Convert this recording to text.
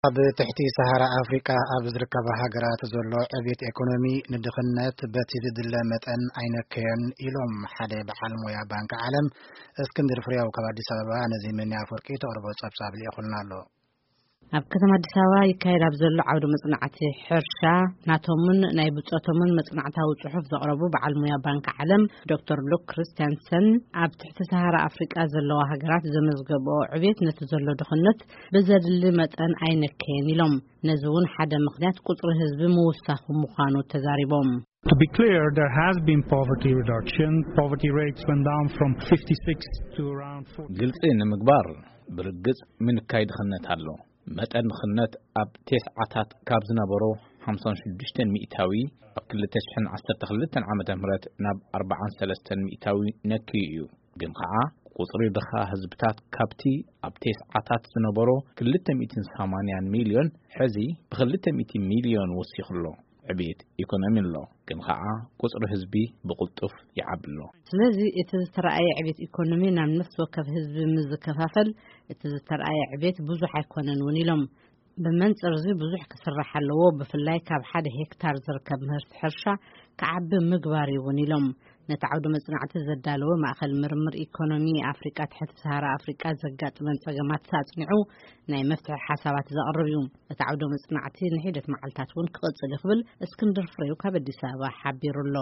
ኣብ ትሕቲ ሰሃራ ኣፍሪቃ ኣብ ዝርከባ ሃገራት ዘሎ ዕቤት ኤኮኖሚ ንድኽነት በቲ ዝድለ መጠን ኣይነከየን ኢሎም ሓደ በዓል ሞያ ባንክ ዓለም። እስክንድር ፍሬው ካብ ኣዲስ ኣበባ ነዚ መኒ ኣፈወርቂ ተቕርቦ ጸብጻብ ልኢኹልና ኣሎ። ኣብ ከተማ ኣዲስ ኣበባ ይካየድ ኣብ ዘሎ ዓውደ መጽናዕቲ ሕርሻ ናቶምን ናይ ብጾቶምን መጽናዕታዊ ጽሑፍ ዘቕረቡ በዓል ሞያ ባንክ ዓለም ዶክተር ሉክ ክርስቲያንሰን፣ ኣብ ትሕቲ ሰሃራ ኣፍሪቃ ዘለዋ ሃገራት ዘመዝገብኦ ዕቤት ነቲ ዘሎ ድኽነት ብዘድሊ መጠን ኣይነከየን ኢሎም። ነዚ እውን ሓደ ምኽንያት ቁጽሪ ህዝቢ ምውሳኹ ምዃኑ ተዛሪቦም። To be clear, there has been poverty reduction. Poverty rates went down from fifty-six to around forty. ግልጺ ንምግባር፣ ብርግጽ ምንካይ ድኽነት ኣሎ። መጠን ድኽነት ኣብ ቴስዓታት ካብ ዝነበሮ ሓምሳን ሽዱሽተን ሚእታዊ ኣብ ክልተ ሽሕን ዓሰርተ ክልተን ዓመተ ምህረት ናብ ኣርባዓን ሰለስተን ሚእታዊ ነክዩ እዩ። ግን ኸዓ ቁጽሪ ድኻ ህዝብታት ካብቲ ኣብ ቴስዓታት ዝነበሮ ክልተ ሚእትን ሰማንያን ሚልዮን፣ ሕዚ ብክልተ ሚእቲ ሚልዮን ወሲኹ ኣሎ። ዕብየት ኢኮኖሚ ኣሎ፣ ግን ኸዓ ቁጽሪ ህዝቢ ብቕልጡፍ ይዓቢ ኣሎ። ስለዚ እቲ ዝተረኣየ ዕብየት ኢኮኖሚ ናብ ነፍሲ ወከፍ ህዝቢ ምስ ዝከፋፈል፣ እቲ ዝተረኣየ ዕብየት ብዙሕ ኣይኮነን እውን ኢሎም። ብመንጽር እዚ ብዙሕ ክስራሕ ኣለዎ፣ ብፍላይ ካብ ሓደ ሄክታር ዝርከብ ምህርቲ ሕርሻ ክዓቢ ምግባር እዩ እውን ኢሎም። ነቲ ዓውደ መጽናዕቲ ዘዳለወ ማእከል ምርምር ኢኮኖሚ ኣፍሪቃ ትሕቲ ሰሃራ ኣፍሪቃ ዘጋጥመን ጸገማት ኣጽኒዑ ናይ መፍትሒ ሓሳባት ዘቕርብ እዩ። እቲ ዓውደ መጽናዕቲ ንሒደት መዓልታት እውን ክቕጽል እዩ ክብል እስክንድር ፍሬው ካብ ኣዲስ ኣበባ ሓቢሩ ኣሎ።